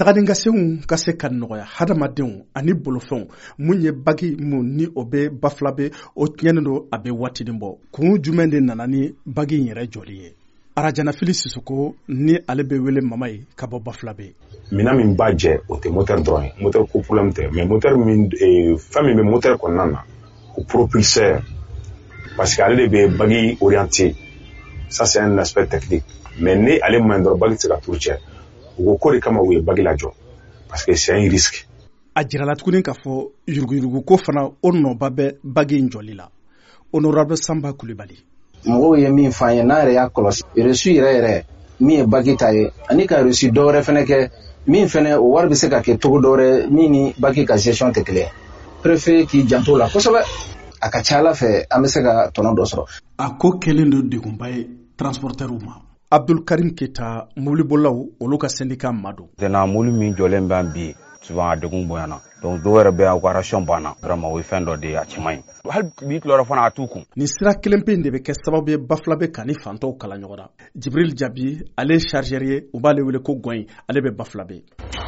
Taganinkasenw ka se ka nɔgɔya hadamadenw ani bolofɛnw. Mun ye bagi mun ni o bɛ Bafulabe, o tiɲɛnen don a bɛ waatinin bɔ. Kun jumɛn de nana ni bagi in yɛrɛ jɔli ye? Arajanafili Sisoko ni ale bɛ wele Mama ye ka bɔ Bafulabe. Minɛn min b'a jɛ, o tɛ moteur dɔrɔn ye, moteur ko problème tɛ, mais moteur min, fɛn min bɛ moteur kɔnɔna na, o propulseur, parce que ale de bɛ bagi orienté. Ça, c'est un aspect technique, mais ni ale man ɲi dɔrɔn, bagi tɛ se ka tour cɛ. U ko ko de kama u ye bagi lajɔ, parce que c'est un risque. A jirala tuguni k'a fɔ yuruguyurugu ko fana, o nɔba bɛ bagi in jɔli la. Honorable Samba Kulibali. Mɔgɔw ye min f'an ye, n'an yɛrɛ y'a kɔlɔsi, reçu yɛrɛ yɛrɛ min ye baki ta ye, ani ka reçu dɔwɛrɛ fɛnɛ kɛ min fɛnɛ, o wari bɛ se ka kɛ togo dɔwɛrɛ min ni baki ka gestion tɛ kelen ye. Préfet k'i janto la kosɛbɛ. A ka ca ala fɛ, an bɛ se ka tɔnɔ dɔ sɔrɔ. A ko kɛlen don degunba ye transportɛriw ma. Abdul Karim Keta, mobilibolilaw olu ka syndicat ma don. Maintenant, mobili min jɔlen bɛ an bi, souvent a degun bonyana, donc dɔw yɛrɛ bɛ yan, u ka ration banna. Vraiment, o ye fɛn dɔ de ye, a cɛ man ɲi. Hali bi tilayɔrɔ fana, a t'u kun. Nin sira kelen pe in de bɛ kɛ sababu ye Bafulabe ka ni fantɔw kala ɲɔgɔn na. Jibril Jabi, ale ye chargeur ye, u b'ale wele ko Gɔyin, ale bɛ Bafulabe.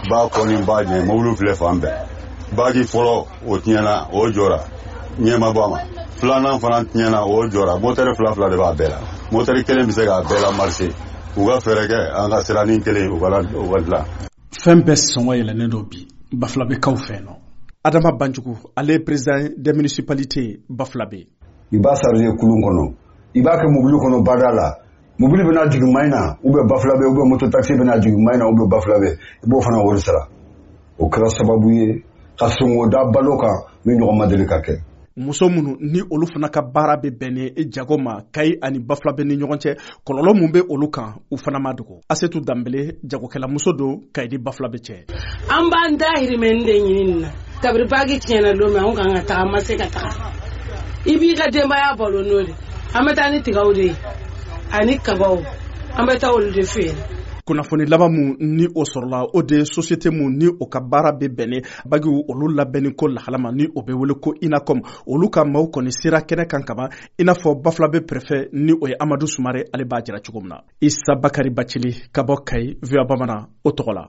Ba kɔni b'a ɲɛ, mobili filɛ fan bɛɛ. Baki fɔlɔ, o tiɲɛna, o jɔra, ɲɛma bɔ a ma. Filanan fana tiɲɛna, o jɔra. Motɛri fila fila de b'a bɛɛ la, motɛri kelen bɛ se k'a bɛɛ la marcher. U ka fɛɛrɛ kɛ an ka siranin kelen, u ka dilan. Fɛn bɛɛ sɔngɔ yɛlɛnnen don bi Bafulabekaw fɛ nɔ. Adama Banjugu, ale ye président des municipalités Bafulabe. I b'a charger kulun kɔnɔ, i b'a kɛ mobili kɔnɔ bada la, mobili bɛna jigin Mayina ou bien Bafulabe, ou bien moto taxi bɛna jigin Mayina ou bien Bafulabe, i b'o fana wari sara. O kɛra sababu ye ka sɔngɔ da balo kan min ɲɔgɔn ma deli ka kɛ. Muso minnu ni olu fana ka baara bɛ bɛn ni jago ma Kayi ani Bafulabe ni ɲɔgɔn cɛ, kɔlɔlɔ mun bɛ olu kan, u fana ma dogo. Asetu Danbele, jagokɛlamuso don Kayi ni Bafulabe cɛ. An b'an dahirimɛ de ɲini nin na. Kabiri bagi tiɲɛna don min, anw kan ka taga, an ma se ka taga. I b'i ka denbaya balo n'o de. An bɛ taa ni tigaw de ye ani kabaw, an bɛ taa olu de feere. Kunnafoni laban mun ni o sɔrɔla, o de ye société mun ni o ka baara bɛ bɛn bagiw olu labɛnni ko lahala ma, ni o bɛ wele ko INACOM, olu ka maaw kɔni sera kɛnɛ kan kaban, i n'a fɔ Bafulabe préfet ni o ye Amadu Sumare, ale b'a jira cogo min na. Isa Bakari Bacili ka bɔ Kayi, VOA Bamanan o tɔgɔ la.